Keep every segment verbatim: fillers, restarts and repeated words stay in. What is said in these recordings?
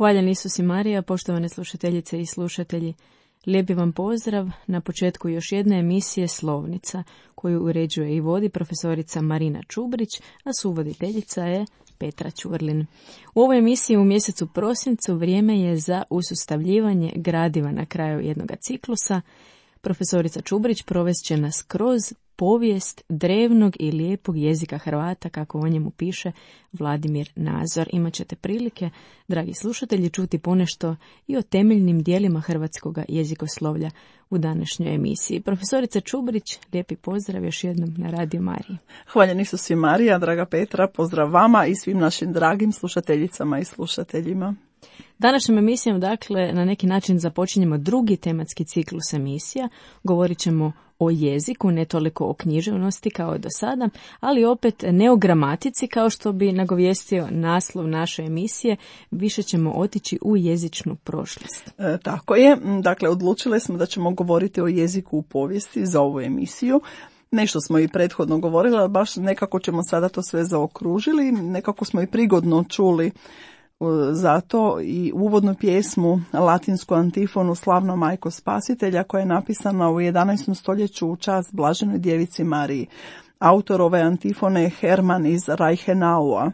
Hvaljen Isus i Marija, poštovane slušateljice i slušatelji. Lijepi vam pozdrav na početku još jedne emisije Slovnica, koju uređuje i vodi profesorica Marina Čubrić, a suvoditeljica je Petra Ćurlin. U ovoj emisiji u mjesecu prosincu vrijeme je za usustavljivanje gradiva na kraju jednog ciklusa. Profesorica Čubrić provest će nas kroz povijest drevnog i lijepog jezika Hrvata, kako o njemu piše Vladimir Nazor. Imaćete prilike, dragi slušatelji, čuti ponešto i o temeljnim dijelima hrvatskog jezikoslovlja u današnjoj emisiji. Profesorica Čubrić, lijepi pozdrav još jednom na Radio Mariji. Hvaljen Isus i Marija, draga Petra, pozdrav vama i svim našim dragim slušateljicama i slušateljima. Današnjom emisijom, dakle, na neki način započinjemo drugi tematski ciklus emisija. Govorit ćemo o jeziku, ne toliko o književnosti kao do sada, ali opet ne o gramatici kao što bi nagovijestio naslov naše emisije. Više ćemo otići u jezičnu prošlost. E, tako je. Dakle, odlučile smo da ćemo govoriti o jeziku u povijesti za ovu emisiju. Nešto smo i prethodno govorili, ali baš nekako ćemo sada to sve zaokružili. Nekako smo i prigodno čuli zato i uvodnu pjesmu, latinsku antifonu Slavna majko spasitelja, koja je napisana u jedanaestom stoljeću u čast Blaženoj djevici Mariji. Autor ove antifone je Herman iz Reichenau.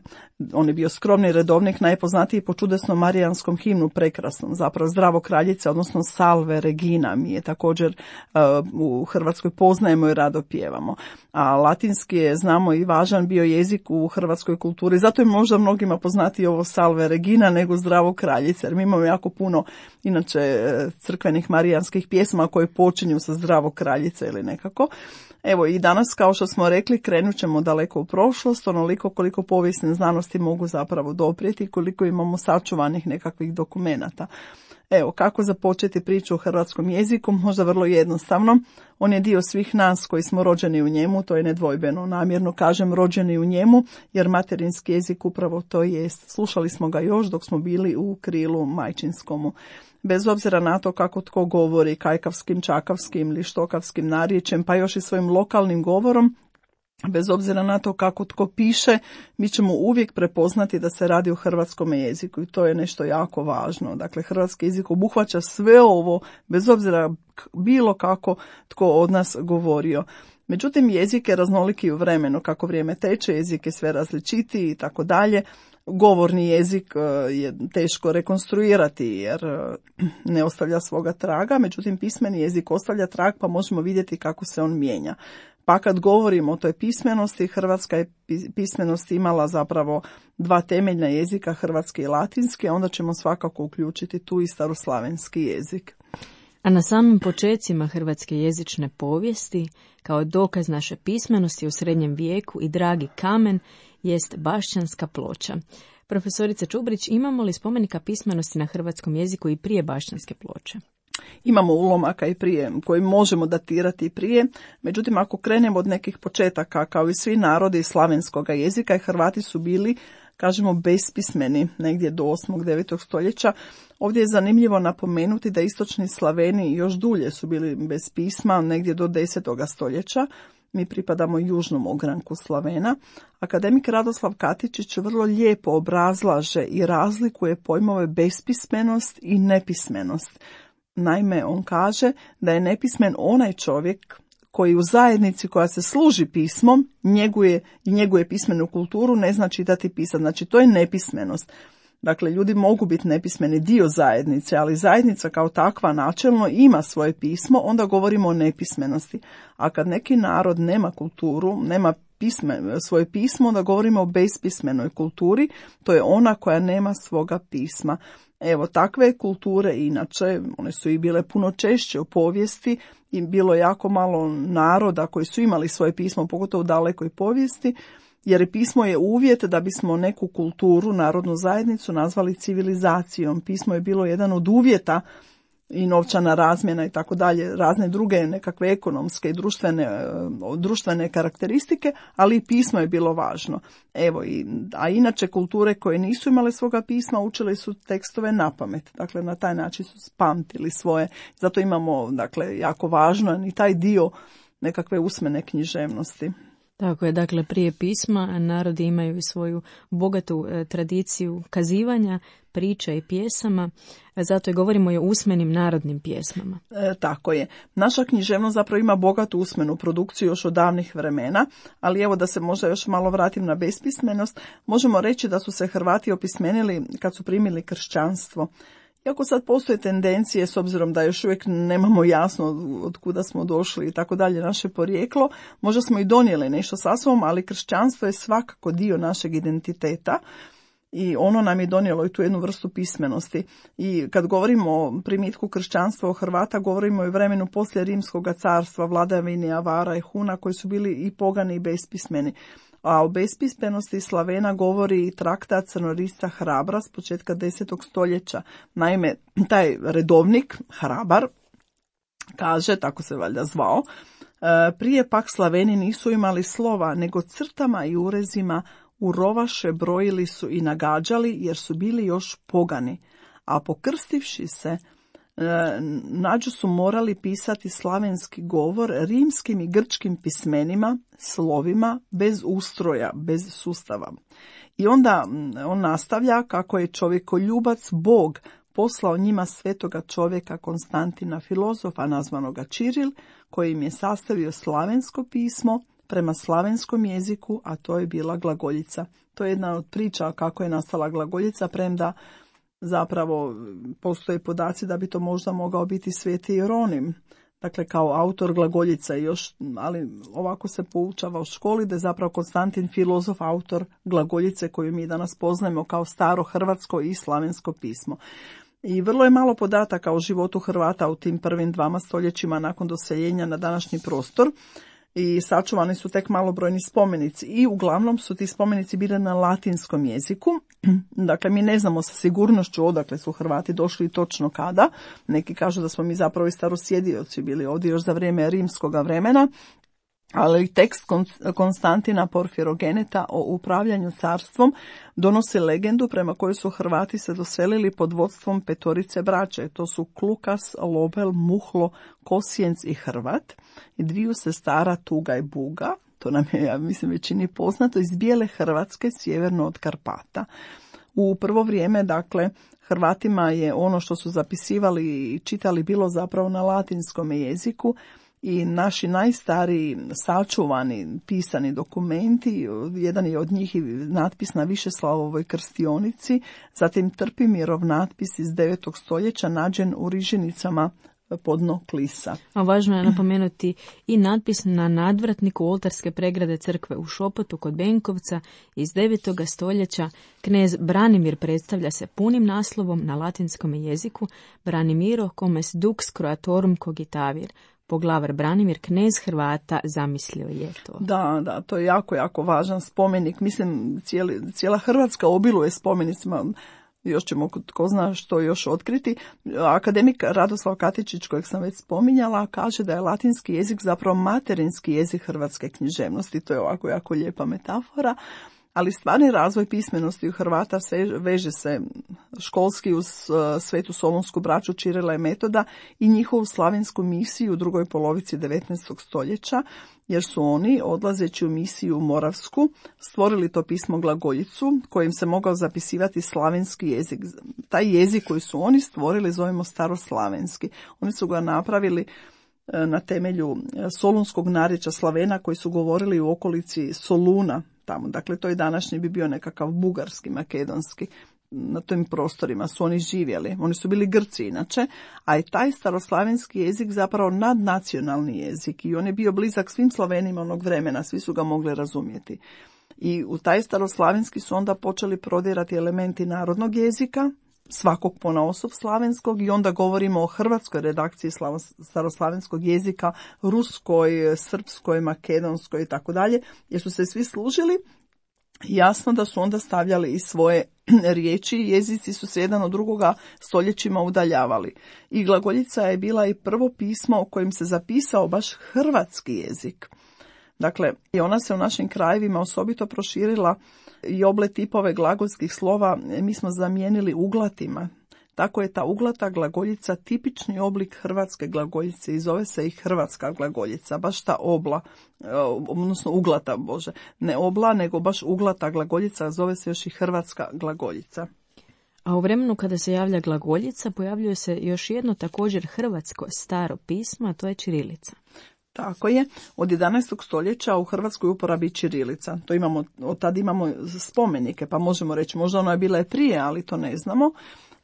On je bio skromni redovnik, najpoznatiji po čudesnom marijanskom himnu, prekrasnom, zapravo Zdravo kraljice, odnosno Salve Regina. Mi je također uh, u Hrvatskoj poznajemo i rado pjevamo. A latinski je, znamo, i važan bio jezik u hrvatskoj kulturi. Zato je možda mnogima poznati ovo Salve Regina nego Zdravo kraljice, jer mi imamo jako puno inače crkvenih marijanskih pjesma koje počinju sa Zdravo kraljice ili nekako. Evo i danas, kao što smo rekli, krenut ćemo daleko u prošlost, onoliko koliko povijesne znanosti mogu zapravo doprijeti, koliko imamo sačuvanih nekakvih dokumenata. Evo, kako započeti priču o hrvatskom jeziku? Možda vrlo jednostavno. On je dio svih nas koji smo rođeni u njemu, to je nedvojbeno. Namjerno kažem rođeni u njemu, jer materinski jezik upravo to jest. Slušali smo ga još dok smo bili u krilu majčinskomu. Bez obzira na to kako tko govori, kajkavskim, čakavskim ili štokavskim narječjem, pa još i svojim lokalnim govorom, bez obzira na to kako tko piše, mi ćemo uvijek prepoznati da se radi o hrvatskom jeziku i to je nešto jako važno. Dakle, hrvatski jezik obuhvaća sve ovo, bez obzira bilo kako tko od nas govorio. Međutim, jezik je raznoliki u vremenu, kako vrijeme teče, jezik je sve različitiji i tako dalje. Govorni jezik je teško rekonstruirati jer ne ostavlja svoga traga, međutim pismeni jezik ostavlja trag pa možemo vidjeti kako se on mijenja. Pa kad govorimo o toj pismenosti, hrvatska je pismenost imala zapravo dva temeljna jezika, hrvatski i latinski, a onda ćemo svakako uključiti tu i staroslavenski jezik. A na samim počecima hrvatske jezične povijesti, kao dokaz naše pismenosti u srednjem vijeku i dragi kamen, jest Bašćanska ploča. Profesorica Čubrić, imamo li spomenika pismenosti na hrvatskom jeziku i prije Bašćanske ploče? Imamo ulomaka i prije, koji možemo datirati i prije, međutim ako krenemo od nekih početaka, kao i svi narodi slavenskog jezika, i Hrvati su bili, kažemo, bespismeni negdje do osmog devetog stoljeća. Ovdje je zanimljivo napomenuti da istočni Slaveni još dulje su bili bez pisma, negdje do desetoga stoljeća. Mi pripadamo južnom ogranku Slavena. Akademik Radoslav Katičić vrlo lijepo obrazlaže i razlikuje pojmove bespismenost i nepismenost. Naime, on kaže da je nepismen onaj čovjek koji u zajednici koja se služi pismom njeguje i njeguje pismenu kulturu ne zna čitati i pisati. Znači to je nepismenost. Dakle, ljudi mogu biti nepismeni dio zajednice, ali zajednica kao takva načelno ima svoje pismo, onda govorimo o nepismenosti. A kad neki narod nema kulturu, nema pisme, svoje pismo, onda govorimo o bespismenoj kulturi, to je ona koja nema svoga pisma. Evo, takve kulture inače, one su i bile puno češće u povijesti i bilo jako malo naroda koji su imali svoje pismo, pogotovo u dalekoj povijesti, jer pismo je uvjet da bismo neku kulturu, narodnu zajednicu nazvali civilizacijom. Pismo je bilo jedan od uvjeta i novčana razmjena i tako dalje, razne druge nekakve ekonomske i društvene, društvene karakteristike, ali i pismo je bilo važno. Evo, i, a inače kulture koje nisu imale svoga pisma učile su tekstove na pamet. Dakle, na taj način su spamtili svoje. Zato imamo, dakle, jako važno i taj dio nekakve usmene književnosti. Tako je, dakle, prije pisma narodi imaju i svoju bogatu e, tradiciju kazivanja, priča i pjesama, zato i govorimo i o usmenim narodnim pjesmama. E, tako je. Naša književnost zapravo ima bogatu usmenu produkciju još od davnih vremena, ali evo da se možda još malo vratim na bespismenost, možemo reći da su se Hrvati opismenili kad su primili kršćanstvo. Iako sad postoje tendencije, s obzirom da još uvijek nemamo jasno od kuda smo došli i tako dalje naše porijeklo, možda smo i donijeli nešto sa sobom, ali kršćanstvo je svakako dio našeg identiteta i ono nam je donijelo i tu jednu vrstu pismenosti. I kad govorimo o primitku kršćanstva u Hrvata, govorimo i o vremenu poslije Rimskog carstva, vladavini Avara i Huna koji su bili i pogani i bespismeni. A o bespismenosti Slavena govori i traktat Crnorisca Hrabra s početka desetog stoljeća. Naime, taj redovnik, Hrabar, kaže, tako se valjda zvao, prije pak Slaveni nisu imali slova, nego crtama i urezima u rovaše brojili su i nagađali, jer su bili još pogani. A pokrstivši se, nađu su morali pisati slavenski govor rimskim i grčkim pismenima, slovima, bez ustroja, bez sustava. I onda on nastavlja kako je čovjekoljubac Bog poslao njima svetoga čovjeka Konstantina filozofa, nazvanoga Čiril, koji im je sastavio slavensko pismo prema slavenskom jeziku, a to je bila glagoljica. To je jedna od priča kako je nastala glagoljica, premda zapravo postoje podaci da bi to možda mogao biti Sveti Jeronim, dakle kao autor glagoljica još, ali ovako se poučava u školi da je zapravo Konstantin filozof autor glagoljice koju mi danas poznajemo kao staro hrvatsko i slavensko pismo. I vrlo je malo podataka o životu Hrvata u tim prvim dvama stoljećima nakon doseljenja na današnji prostor. I sačuvani su tek malobrojni spomenici i uglavnom su ti spomenici bili na latinskom jeziku. Dakle, mi ne znamo sa sigurnošću odakle su Hrvati došli i točno kada. Neki kažu da smo mi zapravo i starosjedioci bili ovdje još za vrijeme rimskoga vremena. Ali tekst Konstantina Porfirogeneta o upravljanju carstvom donosi legendu prema kojoj su Hrvati se doselili pod vodstvom petorice braće. To su Klukas, Lobel, Muhlo, Kosijenc i Hrvat. I dviju sestara Tuga i Buga, to nam je, ja mislim, većini poznato, iz bijele Hrvatske, sjeverno od Karpata. U prvo vrijeme, dakle, Hrvatima je ono što su zapisivali i čitali bilo zapravo na latinskom jeziku, i naši najstariji sačuvani pisani dokumenti, jedan je od njih i natpis na Višeslavovoj krstionici, zatim Trpimirov natpis iz devetog stoljeća nađen u Riženicama pod dno Klisa. A važno je napomenuti i natpis na nadvratniku oltarske pregrade crkve u Šopotu kod Benkovca iz devetog stoljeća. Knez Branimir predstavlja se punim naslovom na latinskom jeziku Branimiro comes dux croatorum cogitavir. Poglavar Branimir, knez Hrvata, zamislio je to. Da, da, to je jako, jako važan spomenik. Mislim, cijeli, cijela Hrvatska obiluje spomenicima, još ćemo tko zna što još otkriti. Akademik Radoslav Katičić, kojeg sam već spominjala, kaže da je latinski jezik zapravo materinski jezik hrvatske književnosti. To je ovako jako lijepa metafora. Ali stvarni razvoj pismenosti u Hrvata se veže se školski uz Svetu Solonsku braću Čirila i Metoda i njihovu slavensku misiju u drugoj polovici devetnaestog stoljeća, jer su oni, odlazeći u misiju Moravsku, stvorili to pismo glagoljicu, kojim se mogao zapisivati slavenski jezik. Taj jezik koji su oni stvorili zovemo staroslavenski. Oni su ga napravili na temelju solunskog narječja Slavena koji su govorili u okolici Soluna tamo. Dakle, to i današnji bi bio nekakav bugarski, makedonski. Na tim prostorima su oni živjeli. Oni su bili Grci inače, a i taj staroslavenski jezik zapravo nadnacionalni jezik i on je bio blizak svim Slavenima onog vremena, svi su ga mogli razumjeti. I u taj staroslavenski su onda počeli prodirati elementi narodnog jezika, svakog ponaosob slavenskog, i onda govorimo o hrvatskoj redakciji staroslavenskog jezika, ruskoj, srpskoj, makedonskoj i tako dalje, jer su se svi služili. Jasno da su onda stavljali i svoje riječi, jezici su se jedan od drugoga stoljećima udaljavali. I glagoljica je bila i prvo pismo u kojem se zapisao baš hrvatski jezik. Dakle, i ona se u našim krajevima osobito proširila i oble tipove glagolskih slova mi smo zamijenili uglatima. Tako je ta uglata glagoljica tipični oblik hrvatske glagoljice i zove se i hrvatska glagoljica, baš ta obla, odnosno uglata, bože, ne obla, nego baš uglata glagoljica, zove se još i hrvatska glagoljica. A u vremenu kada se javlja glagoljica pojavljuje se još jedno također hrvatsko staro pismo, a to je ćirilica. Tako je, od jedanaestog stoljeća u Hrvatskoj uporabi ćirilica. To imamo, od tad imamo spomenike, pa možemo reći, možda ona je bila i prije, ali to ne znamo.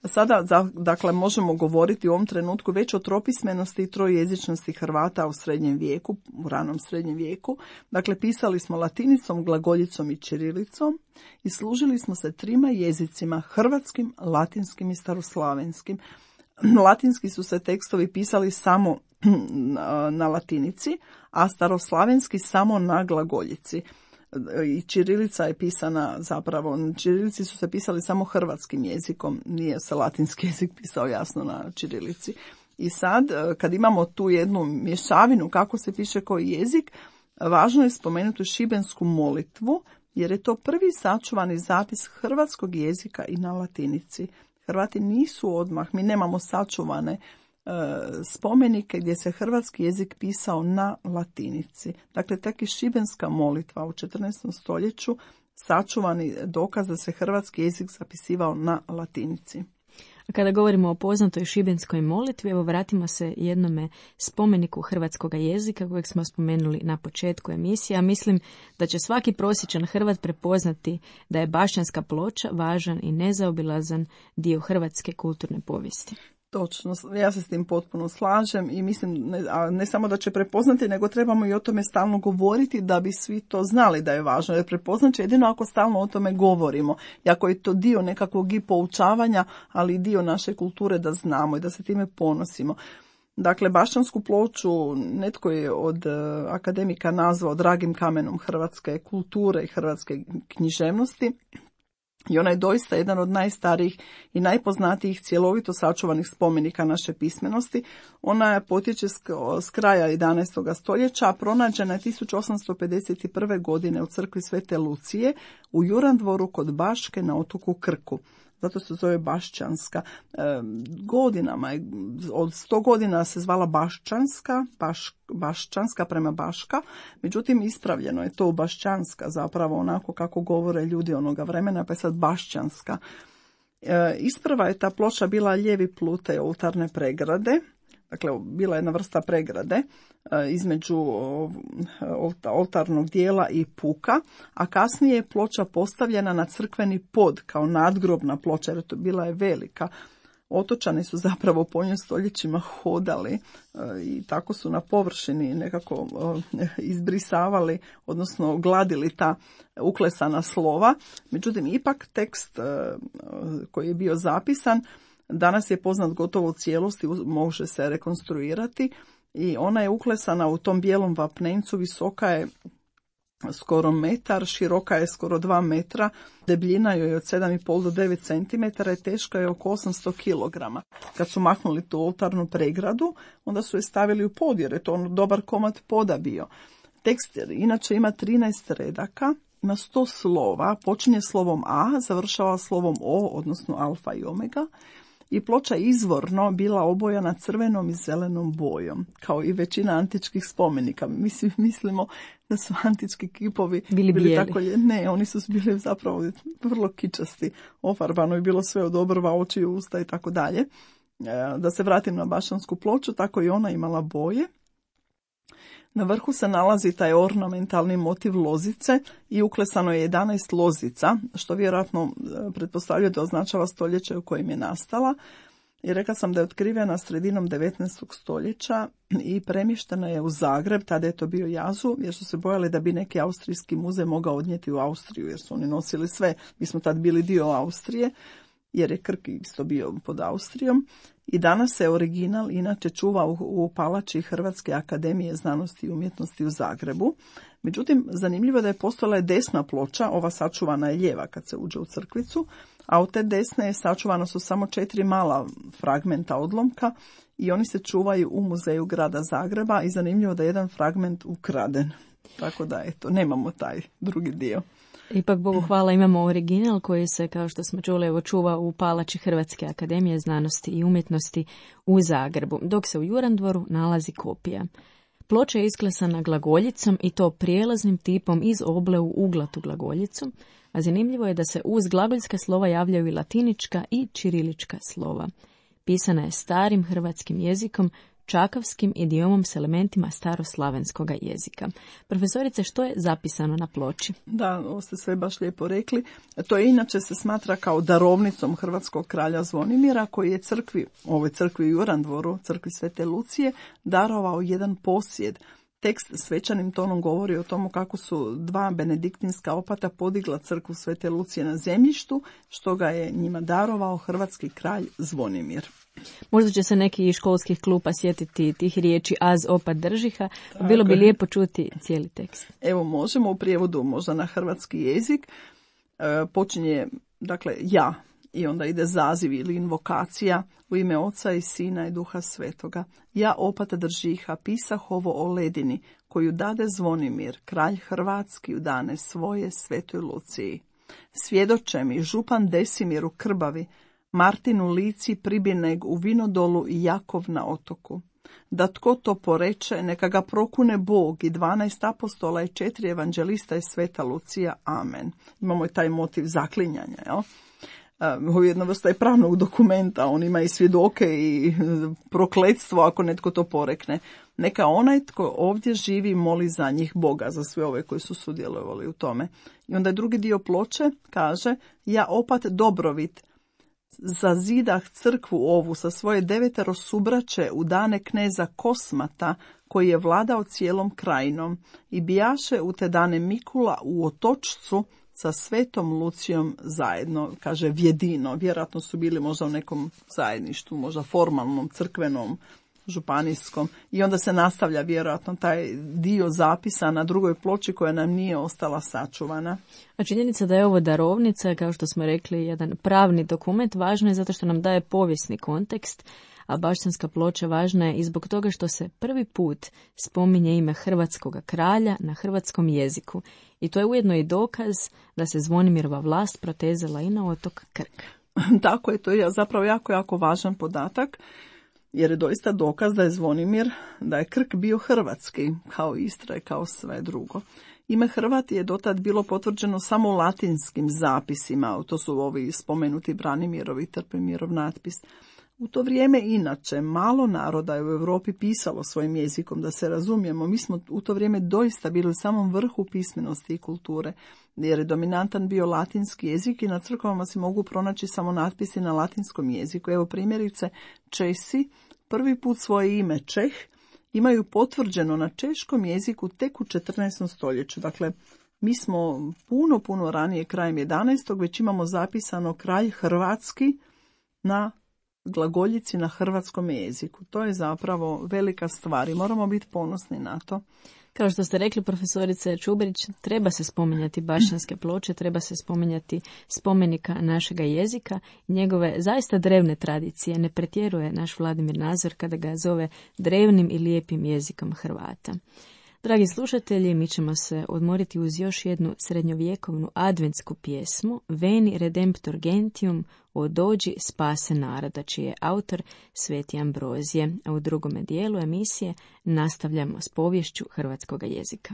Sada, dakle, možemo govoriti u ovom trenutku već o tropismenosti i trojezičnosti Hrvata u srednjem vijeku, u ranom srednjem vijeku. Dakle, pisali smo latinicom, glagoljicom i ćirilicom i služili smo se trima jezicima, hrvatskim, latinskim i staroslavenskim. Latinski su se tekstovi pisali samo na latinici, a staroslavenski samo na glagoljici. I ćirilica je pisana zapravo, ćirilici su se pisali samo hrvatskim jezikom, nije se latinski jezik pisao jasno na ćirilici. I sad, kad imamo tu jednu mješavinu kako se piše koji jezik, važno je spomenuti šibensku molitvu, jer je to prvi sačuvani zapis hrvatskog jezika i na latinici. Hrvati nisu odmah, mi nemamo sačuvane spomenike gdje se hrvatski jezik pisao na latinici. Dakle, tek i šibenska molitva u četrnaestom stoljeću sačuvani dokaz da se hrvatski jezik zapisivao na latinici. A kada govorimo o poznatoj šibenskoj molitvi, evo vratimo se jednome spomeniku hrvatskog jezika kojeg smo spomenuli na početku emisije, a mislim da će svaki prosječan Hrvat prepoznati da je Bašćanska ploča važan i nezaobilazan dio hrvatske kulturne povijesti. Točno, ja se s tim potpuno slažem i mislim ne, a ne samo da će prepoznati, nego trebamo i o tome stalno govoriti da bi svi to znali da je važno. Jer prepoznat će jedino ako stalno o tome govorimo. I ako je to dio nekakvog i poučavanja, ali i dio naše kulture da znamo i da se time ponosimo. Dakle, Bašćansku ploču netko je od akademika nazvao dragim kamenom hrvatske kulture i hrvatske književnosti. I ona je doista jedan od najstarijih i najpoznatijih cjelovito sačuvanih spomenika naše pismenosti. Ona potječe s kraja jedanaestog stoljeća, a pronađena je tisuću osamsto pedeset prve. godine u crkvi Svete Lucije u Jurandvoru kod Baške na otoku Krku. Zato se zove Bašćanska. E, godinama, od sto godina se zvala Bašćanska, baš, Bašćanska prema Baška, međutim ispravljeno je to u Bašćanska, zapravo onako kako govore ljudi onoga vremena, pa je sad Bašćanska. E, isprava je ta ploča bila lijevi plute oltarne pregrade, dakle bila je jedna vrsta pregrade e, između oltarnog dijela i puka, a kasnije je ploča postavljena na crkveni pod kao nadgrobna ploča, jer to bila je velika. Otočani su zapravo po njoj stoljećima hodali e, i tako su na površini nekako e, izbrisavali, odnosno gladili ta uklesana slova. Međutim, ipak tekst e, koji je bio zapisan danas je poznat gotovo u cijelosti, može se rekonstruirati i ona je uklesana u tom bijelom vapnencu, visoka je skoro metar, široka je skoro dva metra, debljina joj je od sedam i pol do devet centimetara i teška je oko osamsto kilograma. Kad su maknuli tu oltarnu pregradu, onda su je stavili u pod, jer je to on dobar komad poda bio. Tekst inače ima trinaest redaka, ima sto slova, počinje slovom A, završava slovom O, odnosno alfa i omega. I ploča izvorno bila obojana crvenom i zelenom bojom, kao i većina antičkih spomenika. Mi mislimo da su antički kipovi bili, bili tako, ne, oni su bili zapravo vrlo kičasti, ofarbano je bilo sve od obrva, oči i usta i tako dalje. Da se vratim na Bašćansku ploču, tako i ona imala boje. Na vrhu se nalazi taj ornamentalni motiv lozice i uklesano je jedanaest lozica, što vjerojatno pretpostavlja da označava stoljeće u kojem je nastala. I rekla sam da je otkrivena sredinom devetnaestog stoljeća i premještena je u Zagreb, tada je to bio Jazu, jer su se bojali da bi neki austrijski muzej mogao odnijeti u Austriju, jer su oni nosili sve. Mi smo tad bili dio Austrije, jer je Krk isto bio pod Austrijom. I danas se original inače čuva u, u palači Hrvatske akademije znanosti i umjetnosti u Zagrebu. Međutim, zanimljivo je da je postojala desna ploča, ova sačuvana je lijeva kad se uđe u crkvicu, a od te desne sačuvana su samo četiri mala fragmenta odlomka i oni se čuvaju u muzeju grada Zagreba i zanimljivo da je jedan fragment ukraden. Tako da, eto, nemamo taj drugi dio. Ipak, Bogu hvala, imamo original koji se, kao što smo čuli, evo, čuva u palači Hrvatske akademije znanosti i umjetnosti u Zagrebu, dok se u Jurandvoru nalazi kopija. Ploča je isklesana glagoljicom i to prijelaznim tipom iz oble u uglatu glagoljicu, a zanimljivo je da se uz glagoljska slova javljaju i latinička i ćirilička slova. Pisana je starim hrvatskim jezikom, čakavskim idiomom s elementima staroslavenskog jezika. Profesorice, što je zapisano na ploči? Da, ovo ste sve baš lijepo rekli. To je inače se smatra kao darovnicom hrvatskog kralja Zvonimira, koji je crkvi, ovoj crkvi u Jurandvoru, crkvi Svete Lucije, darovao jedan posjed. Tekst svečanim tonom govori o tomu kako su dva benediktinska opata podigla crkvu Svete Lucije na zemljištu, što ga je njima darovao hrvatski kralj Zvonimir. Možda će se neki iz školskih klupa sjetiti tih riječi az opat držiha, pa bilo bi lijepo čuti cijeli tekst. Evo, možemo u prijevodu možda na hrvatski jezik. E, počinje, dakle, ja, i onda ide zaziv ili invokacija u ime Oca i Sina i Duha Svetoga. Ja opat držiha, pisah ovo o ledini, koju dade Zvonimir, kralj Hrvatski u dane svoje Svetoj Luciji. Svjedoče mi župan Desimir u Krbavi, Martin u Lici, Pribineg u Vinodolu i Jakov na otoku. Da tko to poreče, neka ga prokune Bog i dvanaest apostola i četiri evanđelista i Sveta Lucija. Amen. Imamo i taj motiv zaklinjanja, jel? Ovo je jedna vrsta je pravnog dokumenta, on ima i svjedoke i prokletstvo ako netko to porekne. Neka onaj tko ovdje živi moli za njih Boga, za sve ove koji su sudjelovali u tome. I onda je drugi dio ploče, kaže, ja opat Dobrovit, zazidah crkvu ovu sa svoje devetero subraće u dane kneza Kosmata, koji je vladao cijelom krajinom, i bijaše u te dane Mikula u Otočcu sa Svetom Lucijom zajedno, kaže vjedino. Vjerojatno su bili možda u nekom zajedništvu, možda formalnom, crkvenom, županijskom. I onda se nastavlja vjerojatno taj dio zapisa na drugoj ploči koja nam nije ostala sačuvana. A činjenica da je ovo darovnica, kao što smo rekli, jedan pravni dokument, važno je zato što nam daje povijesni kontekst, a bašćanska ploča važna je i zbog toga što se prvi put spominje ime hrvatskog kralja na hrvatskom jeziku. I to je ujedno i dokaz da se Zvonimirova vlast protezala i na otok Krk. Tako je, to je zapravo jako, jako važan podatak, jer je doista dokaz da je Zvonimir, da je Krk bio hrvatski, kao Istra i kao sve drugo. Ime Hrvat je dotad bilo potvrđeno samo u latinskim zapisima, to su ovi spomenuti Branimirov i Trpemirov natpis. U to vrijeme inače malo naroda je u Europi pisalo svojim jezikom, da se razumijemo. Mi smo u to vrijeme doista bili u samom vrhu pismenosti i kulture, jer je dominantan bio latinski jezik i na crkvama se mogu pronaći samo natpisi na latinskom jeziku. Evo primjerice, Česi prvi put svoje ime Čeh imaju potvrđeno na češkom jeziku tek u četrnaestom stoljeću. Dakle, mi smo puno, puno ranije, krajem jedanaestog već imamo zapisano kralj Hrvatski na glagoljici na hrvatskom jeziku. To je zapravo velika stvar i moramo biti ponosni na to. Kao što ste rekli, profesorice Čuberić, treba se spominjati bašćanske ploče, treba se spominjati spomenika našega jezika, njegove zaista drevne tradicije. Ne pretjeruje naš Vladimir Nazor kada ga zove drevnim i lijepim jezikom Hrvata. Dragi slušatelji, mi ćemo se odmoriti uz još jednu srednjovjekovnu adventsku pjesmu Veni Redemptor Gentium, o dođi spase naroda, čiji je autor Sveti Ambrozije. A u drugome dijelu emisije nastavljamo s poviješću hrvatskog jezika.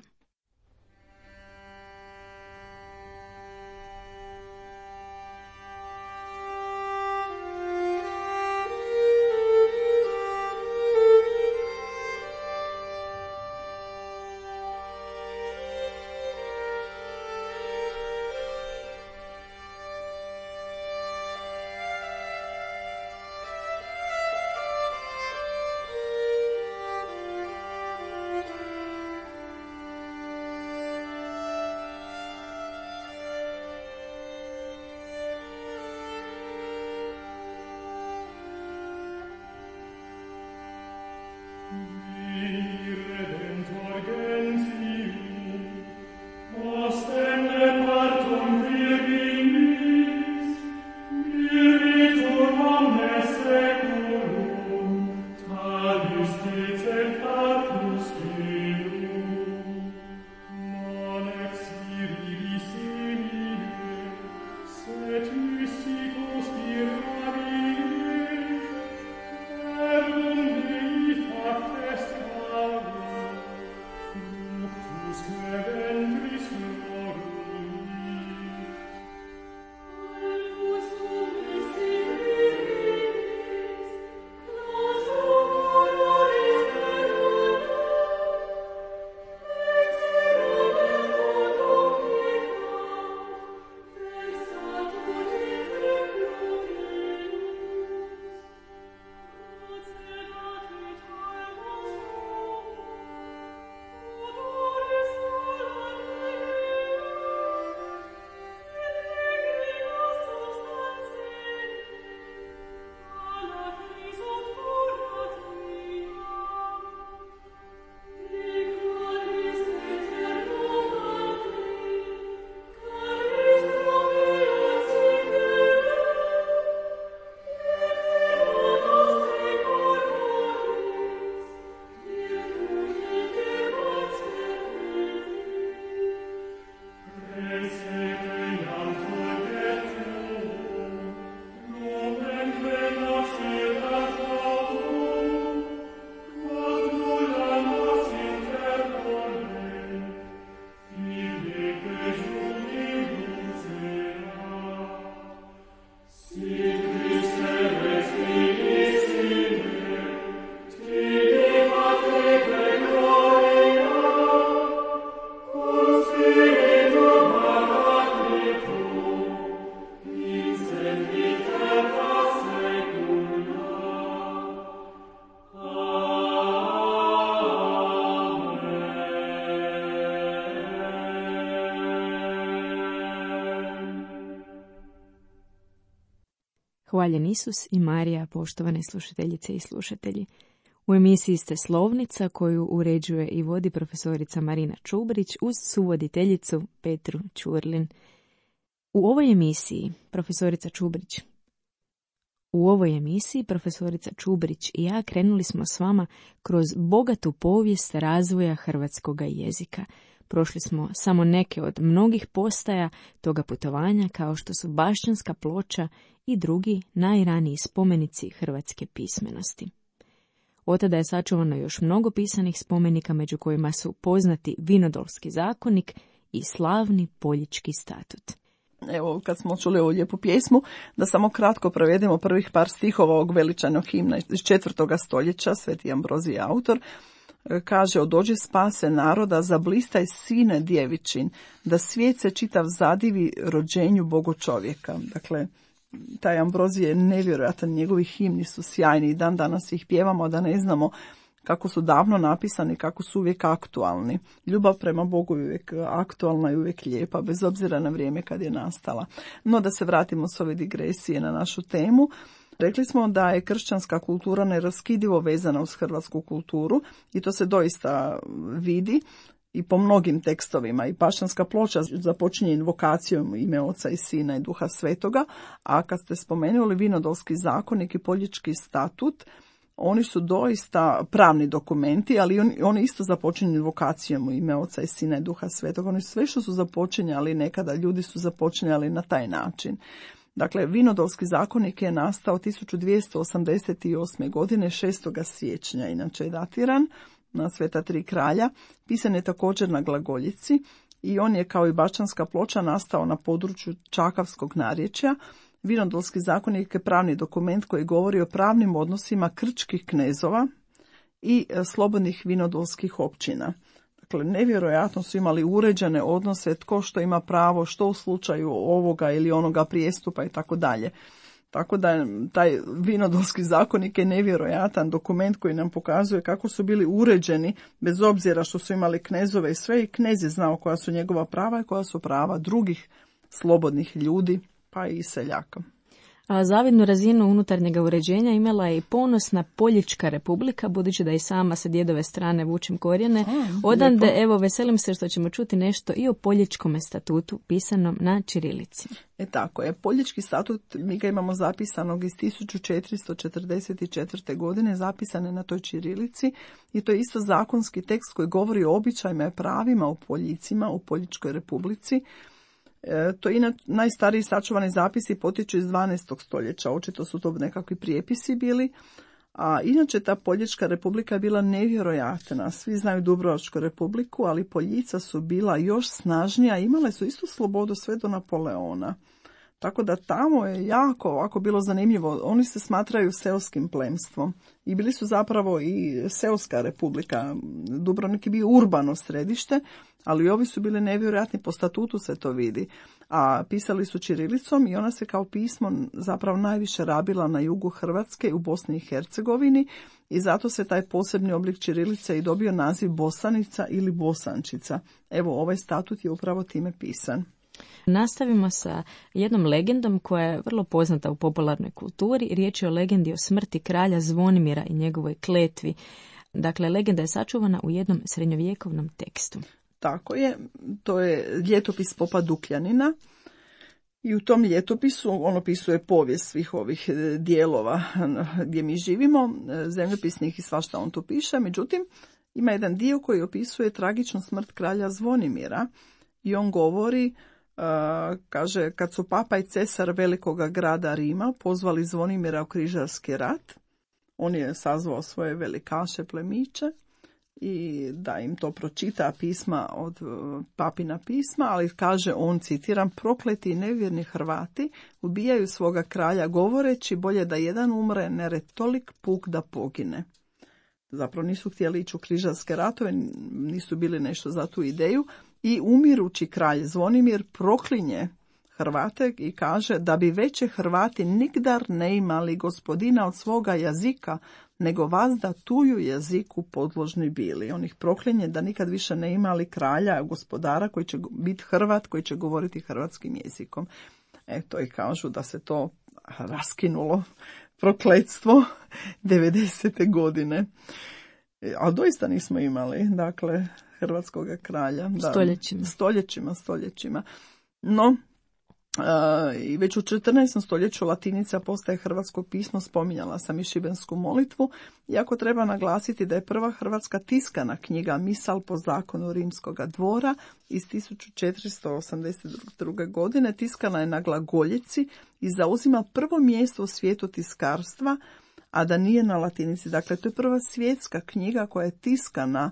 Hvaljen Isus i Marija, poštovane slušateljice i slušatelji. U emisiji ste Slovnica koju uređuje i vodi profesorica Marina Čubrić uz suvoditeljicu Petru Ćurlin. U ovoj emisiji profesorica Čubrić U ovoj emisiji profesorica Čubrić i ja krenuli smo s vama kroz bogatu povijest razvoja hrvatskoga jezika. Prošli smo samo neke od mnogih postaja toga putovanja, kao što su Bašćanska ploča i drugi najraniji spomenici hrvatske pismenosti. Od tada je sačuvano još mnogo pisanih spomenika, među kojima su poznati Vinodolski zakonik i slavni Poljički statut. Evo, kad smo čuli ovu lijepu pjesmu, da samo kratko provedemo prvih par stihova ovog veličanog himna iz četvrtoga stoljeća, Sveti Ambrozij je autor. Kaže: odođi spase naroda, zablistaj sine djevičin, da svijet se čitav zadivi rođenju Bogo čovjeka. Dakle, taj Ambrozij je nevjerojatan, njegovi himni su sjajni i dan danas ih pjevamo, da ne znamo kako su davno napisani, kako su uvijek aktualni. Ljubav prema Bogu je uvijek aktualna i uvijek lijepa, bez obzira na vrijeme kad je nastala. No, da se vratimo s ove digresije na našu temu. Rekli smo da je kršćanska kultura neraskidivo vezana uz hrvatsku kulturu i to se doista vidi i po mnogim tekstovima. I Bašćanska ploča započinje invokacijom ime Oca i Sina i Duha Svetoga, a kad ste spomenuli Vinodolski zakonik i Poljički statut, oni su doista pravni dokumenti, ali oni, oni isto započinju invokacijom u ime Oca i Sina i Duha Svetoga. Oni sve što su započinjali nekada, ljudi su započinjali na taj način. Dakle, Vinodolski zakonik je nastao tisuću dvjesto osamdeset osme. godine, šestoga siječnja, inače je datiran na Sveta tri kralja. Pisan je također na glagoljici i on je, kao i Bašćanska ploča, nastao na području čakavskog narječja. Vinodolski zakonik je pravni dokument koji govori o pravnim odnosima krčkih knezova i slobodnih vinodolskih općina. Dakle, nevjerojatno su imali uređene odnose, tko što ima pravo, što u slučaju ovoga ili onoga prijestupa i tako dalje. Tako da taj Vinodolski zakonik je nevjerojatan dokument koji nam pokazuje kako su bili uređeni, bez obzira što su imali knezove i sve, i knez je znao koja su njegova prava i koja su prava drugih slobodnih ljudi, pa i seljaka. A zavidnu razinu unutarnjega uređenja imala je i ponosna Poljička republika, budući da i sama sa djedove strane vučem korijene. Odande, lijepo. Evo, veselim se što ćemo čuti nešto i o Poljičkom statutu pisanom na ćirilici. E tako je, Poljički statut, mi ga imamo zapisanog iz tisuću četiristo četrdeset četvrte. godine, zapisane na toj ćirilici, i to je isto zakonski tekst koji govori o običajima i pravima u Poljicima, u Poljičkoj republici. E, to inače najstariji sačuvani zapisi potječu iz dvanaestog. stoljeća, očito su to nekakvi prijepisi bili, a inače ta Poljička republika je bila nevjerojatna. Svi znaju Dubrovačku republiku, ali Poljica su bila još snažnija, imale su istu slobodu sve do Napoleona. Tako da tamo je jako ovako bilo zanimljivo. Oni se smatraju seoskim plemstvom i bili su zapravo i seoska republika. Dubrovnik je bio urbano središte, ali ovi su bili nevjerojatni, po statutu se to vidi. A pisali su ćirilicom i ona se kao pismo zapravo najviše rabila na jugu Hrvatske, u Bosni i Hercegovini, i zato se taj posebni oblik ćirilice i dobio naziv bosanica ili bosančica. Evo, ovaj statut je upravo time pisan. Nastavimo sa jednom legendom koja je vrlo poznata u popularnoj kulturi. Riječ je o legendi o smrti kralja Zvonimira i njegovoj kletvi. Dakle, legenda je sačuvana u jednom srednjovjekovnom tekstu. Tako je, to je ljetopis popa Dukljanina i u tom ljetopisu on opisuje povijest svih ovih dijelova gdje mi živimo, zemljopisnih i svašta on tu piše. Međutim, ima jedan dio koji opisuje tragičnu smrt kralja Zvonimira i on govori, Uh, kaže, kad su papa i cesar velikoga grada Rima pozvali Zvonimira u križarski rat, on je sazvao svoje velikaše plemiće i da im to pročita pisma od uh, papina pisma, ali kaže on, citiram, prokleti i nevjerni Hrvati ubijaju svoga kralja govoreći bolje da jedan umre ner tolik puk da pogine. Zapravo nisu htjeli ići u križarske ratove, nisu bili nešto za tu ideju. I umirući kralj Zvonimir proklinje Hrvate i kaže da bi veće Hrvati nigdar ne imali gospodina od svoga jezika, nego vas da tuju jeziku podložni bili. On ih proklinje da nikad više ne imali kralja, gospodara koji će biti Hrvat, koji će govoriti hrvatskim jezikom. Eto, i kažu da se to raskinulo prokletstvo devedesete godine. A doista nismo imali, dakle, hrvatskog kralja. Stoljećima. Da, stoljećima, stoljećima. No, i već u četrnaestom stoljeću latinica postaje hrvatsko pismo, spominjala sam i šibensku molitvu, iako treba naglasiti da je prva hrvatska tiskana knjiga Misal po zakonu rimskoga dvora iz tisuću četiristo osamdeset druge. godine, tiskana je na glagoljici i zauzima prvo mjesto u svijetu tiskarstva, a da nije na latinici. Dakle, to je prva svjetska knjiga koja je tiskana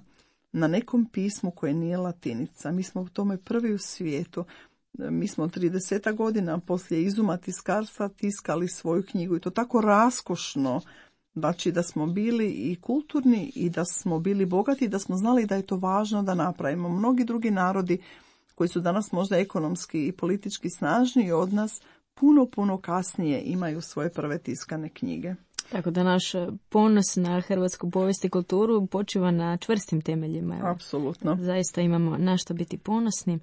na nekom pismu koje nije latinica. Mi smo u tome prvi u svijetu. Mi smo trideset godina poslije izuma tiskarstva tiskali svoju knjigu i to tako raskošno, znači da smo bili i kulturni i da smo bili bogati i da smo znali da je to važno da napravimo. Mnogi drugi narodi koji su danas možda ekonomski i politički snažniji od nas, puno, puno kasnije imaju svoje prve tiskane knjige. Tako da naš ponos na hrvatsku povijest i kulturu počiva na čvrstim temeljima. Apsolutno. Zaista imamo na što biti ponosni.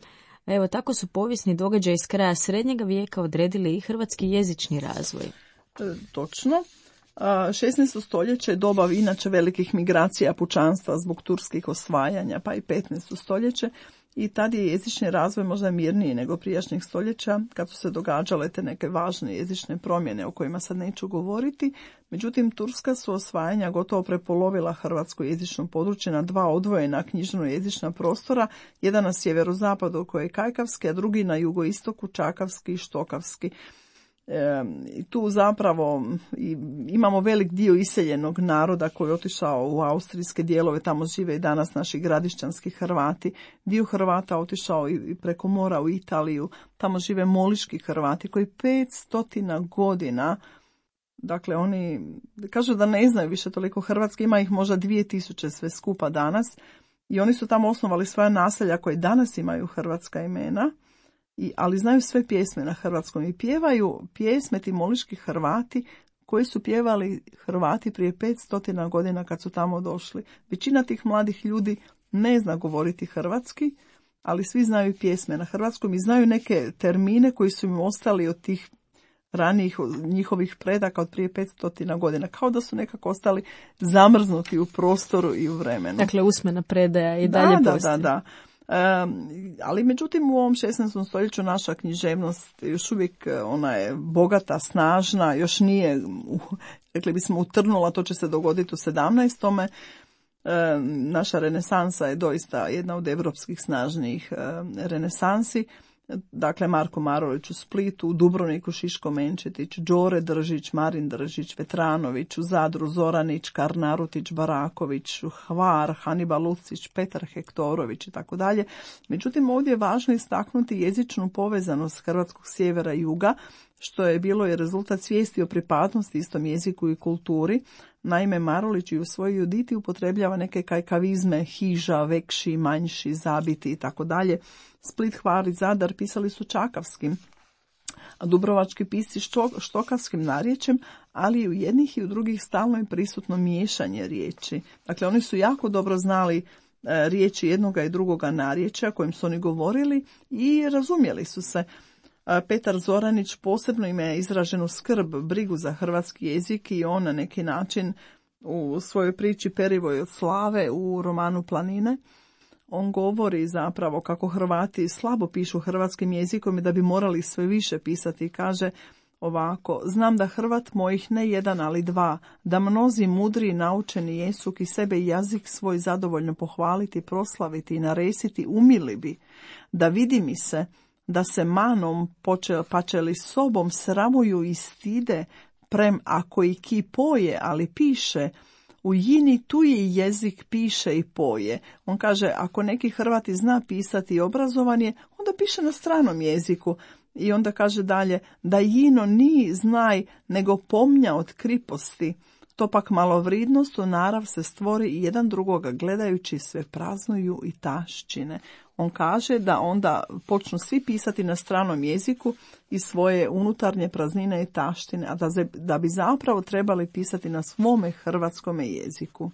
Evo, tako su povijesni događaji iz kraja srednjega vijeka odredili i hrvatski jezični razvoj. E, točno. šesnaesto stoljeće je doba inače velikih migracija pučanstva zbog turskih osvajanja, pa i petnaesto stoljeće. I tad je jezični razvoj možda mirniji nego prijašnjih stoljeća, kad su se događale te neke važne jezične promjene o kojima sad neću govoriti. Međutim, turska su osvajanja gotovo prepolovila hrvatsko jezično područje na dva odvojena knjižno-jezična prostora, jedan na sjeverozapadu koji je kajkavski, a drugi na jugoistoku čakavski i štokavski. E, tu zapravo i, imamo velik dio iseljenog naroda koji je otišao u austrijske dijelove, tamo žive i danas naši gradišćanski Hrvati. Dio Hrvata otišao i preko mora u Italiju, tamo žive moliški Hrvati koji petstotina godina, dakle oni kažu da ne znaju više toliko hrvatski, ima ih možda dvije tisuće sve skupa danas i oni su tamo osnovali svoja naselja koje danas imaju hrvatska imena. I, ali znaju sve pjesme na hrvatskom i pjevaju pjesme ti moliški Hrvati koji su pjevali Hrvati prije petstotina godina kad su tamo došli. Većina tih mladih ljudi ne zna govoriti hrvatski, ali svi znaju pjesme na hrvatskom i znaju neke termine koji su im ostali od tih ranijih njihovih predaka od prije petstotina godina, kao da su nekako ostali zamrznuti u prostoru i u vremenu. Dakle, usmena predaja i dalje da, postoji. Da, da, da. Um, ali međutim u ovom šesnaestom stoljeću naša književnost još uvijek ona je bogata, snažna, još nije, rekli bismo, utrnula, to će se dogoditi u sedamnaestom. Um, naša renesansa je doista jedna od europskih snažnijih um, renesansi. Dakle, Marko Marulić u Splitu, u Dubrovniku Šiško Menčetić, Đore Držić, Marin Držić, Vetranović, u Zadru Zoranić, Karnarutić, Baraković, Hvar, Haniba Lucić, Petar Hektorović i tako dalje. Međutim, ovdje je važno istaknuti jezičnu povezanost hrvatskog sjevera i juga, što je bilo i rezultat svijesti o pripadnosti istom jeziku i kulturi. Naime, Marulić i u svojoj Juditi upotrebljava neke kajkavizme, hiža, vekši, manjši, zabiti i tako dalje. Split, Hvar i Zadar pisali su čakavskim, a dubrovački pisci štokavskim narječjem, ali i u jednih i u drugih stalno je prisutno miješanje riječi. Dakle, oni su jako dobro znali e, riječi jednoga i drugoga narječja kojim su oni govorili i razumjeli su se. Petar Zoranić posebno ima izraženu skrb, brigu za hrvatski jezik i on na neki način u svojoj priči Perivoj od slave u romanu Planine, on govori zapravo kako Hrvati slabo pišu hrvatskim jezikom i da bi morali sve više pisati. Kaže ovako: znam da Hrvat mojih ne jedan, ali dva, da mnozi mudri i naučeni jesu ki sebe i jazik svoj zadovoljno pohvaliti, proslaviti i naresiti umili bi, da vidi mi se da se manom poče, pačeli sobom sramuju i stide, prem ako i ki poje, ali piše, u jini tuji jezik piše i poje. On kaže, ako neki Hrvati zna pisati i obrazovan je, onda piše na stranom jeziku. I onda kaže dalje, da jino ni znaj, nego pomnja od kriposti. To pak malo vridnost u narav se stvori i jedan drugoga gledajući sve praznuju i taščine. On kaže da onda počnu svi pisati na stranom jeziku i svoje unutarnje praznine i taštine, a da, da bi zapravo trebali pisati na svome hrvatskome jeziku.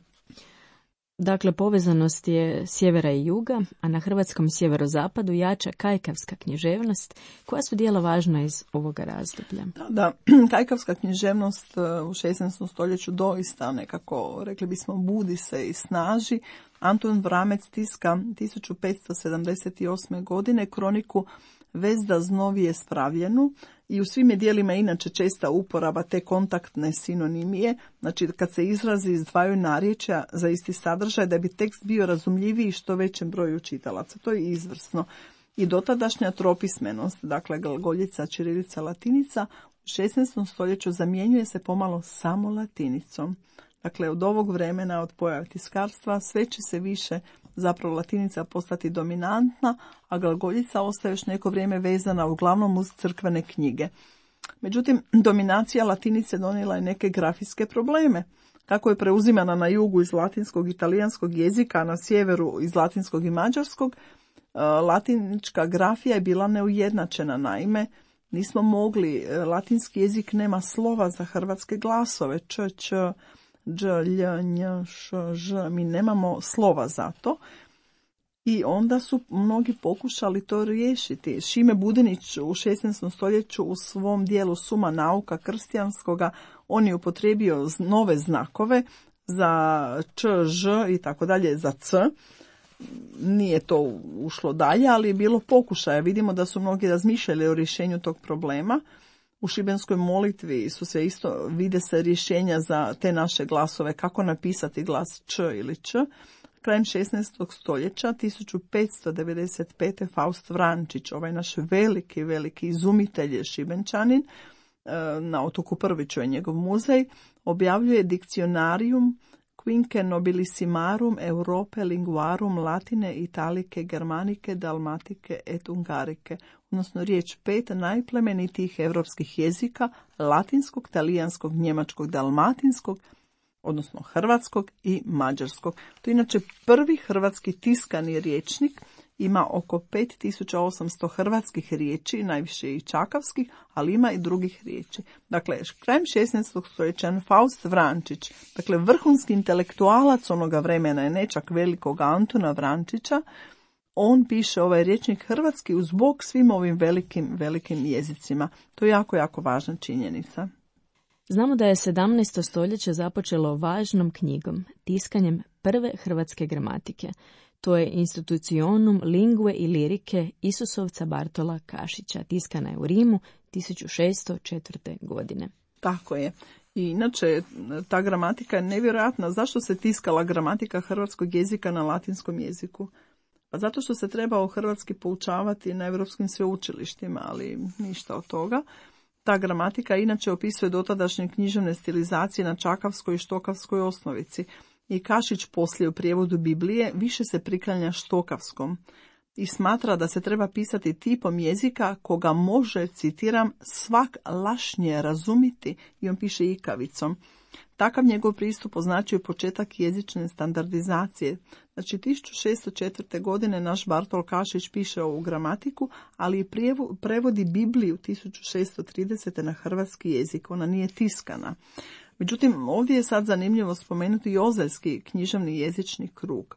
Dakle, povezanost je sjevera i juga, a na hrvatskom sjeverozapadu jača kajkavska književnost. Koja su dijela važna iz ovoga razdoblja? Da, da, kajkavska književnost u šesnaestom stoljeću doista nekako, rekli bismo, budi se i snaži. Antun Vramec tiska tisuću petsto sedamdeset osme. godine kroniku Vezda znovije spravljenu i u svim je dijelima inače česta uporaba te kontaktne sinonimije, znači kad se izrazi iz dvaju narječja za isti sadržaj da bi tekst bio razumljiviji što većem broju čitalaca. To je izvrsno. I dotadašnja tropismenost, dakle glagoljica, ćirilica, latinica, u šesnaestom stoljeću zamjenjuje se pomalo samo latinicom. Dakle, od ovog vremena, od pojave tiskarstva, sve će se više zapravo latinica postati dominantna, a glagoljica ostaje još neko vrijeme vezana uglavnom uz crkvene knjige. Međutim, dominacija latinice donijela je neke grafijske probleme. Kako je preuzimana na jugu iz latinskog i italijanskog jezika, a na sjeveru iz latinskog i mađarskog, latinička grafija je bila neujednačena. Naime, nismo mogli, latinski jezik nema slova za hrvatske glasove, č, č, dž, lj, nj, š, ž, mi nemamo slova za to. I onda su mnogi pokušali to riješiti. Šime Budinić u šesnaestom stoljeću u svom dijelu Suma nauka krstijanskoga, on je upotrijebio nove znakove za č, ž i tako dalje, za c. Nije to ušlo dalje, ali je bilo pokušaja. Vidimo da su mnogi razmišljali o rješenju tog problema. U šibenskoj molitvi su se isto, vide se rješenja za te naše glasove, kako napisati glas č ili č. Krajem šesnaestog stoljeća, tisuću petsto devedeset pete. Faust Vrančić, ovaj naš veliki, veliki izumitelj je Šibenčanin, na otoku Prviću je njegov muzej, objavljuje Dictionarium Quinque nobilissimarum Europe linguarum latine italike germanike dalmatike et ungarike, odnosno riječ pet najplemenitijih europskih jezika, latinskog, talijanskog, njemačkog, dalmatinskog, odnosno hrvatskog i mađarskog. To je inače prvi hrvatski tiskani rječnik, ima oko pet tisuća osamsto hrvatskih riječi, najviše i čakavskih, ali ima i drugih riječi. Dakle, krajem šesnaestog stoljeća Faust Vrančić, dakle vrhunski intelektualac onoga vremena, je ne čak velikog Antuna Vrančića, on piše ovaj rječnik hrvatski uz bok svim ovim velikim, velikim jezicima. To je jako, jako važna činjenica. Znamo da je sedamnaesto stoljeće započelo važnom knjigom, tiskanjem prve hrvatske gramatike. To je Institutionum lingue i lirike Isusovca Bartola Kašića. Tiskana je u Rimu tisuću šesto četvrte. godine. Tako je. I inače, ta gramatika je nevjerojatna. Zašto se tiskala gramatika hrvatskog jezika na latinskom jeziku? Pa zato što se trebao hrvatski poučavati na europskim sveučilištima, ali ništa od toga. Ta gramatika inače opisuje dotadašnje književne stilizacije na čakavskoj i štokavskoj osnovici. I Kašić poslije u prijevodu Biblije više se priklanja štokavskom i smatra da se treba pisati tipom jezika koga može, citiram, svak lašnje razumiti, i on piše ikavicom. Takav njegov pristup označuje početak jezične standardizacije. Znači, tisuću šesto četvrte. godine naš Bartol Kašić piše ovu gramatiku, ali i prevodi Bibliju tisuću šesto tridesete. na hrvatski jezik. Ona nije tiskana. Međutim, ovdje je sad zanimljivo spomenuti i ozeljski književni jezični krug.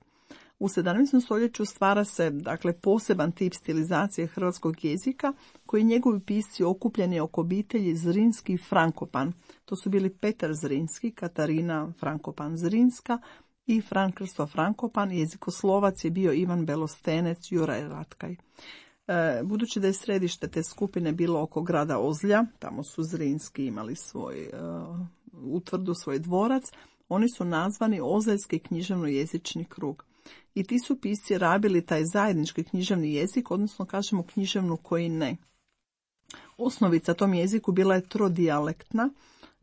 U sedamnaestom stoljeću stvara se, dakle, poseban tip stilizacije hrvatskog jezika koji njegovi pisci okupljeni oko obitelji Zrinski i Frankopan. To su bili Petar Zrinski, Katarina Frankopan Zrinska i Fran Krsto Frankopan. Jezikoslovac je bio Ivan Belostenec, Juraj Ratkaj. E, budući da je središte te skupine bilo oko grada Ozlja, tamo su Zrinski imali svoj uh, utvrdu, svoj dvorac, oni su nazvani Ozeljski književno-jezični krug. I ti su pisci rabili taj zajednički književni jezik, odnosno kažemo književnu koji ne. Osnovica tom jeziku bila je trodijalektna,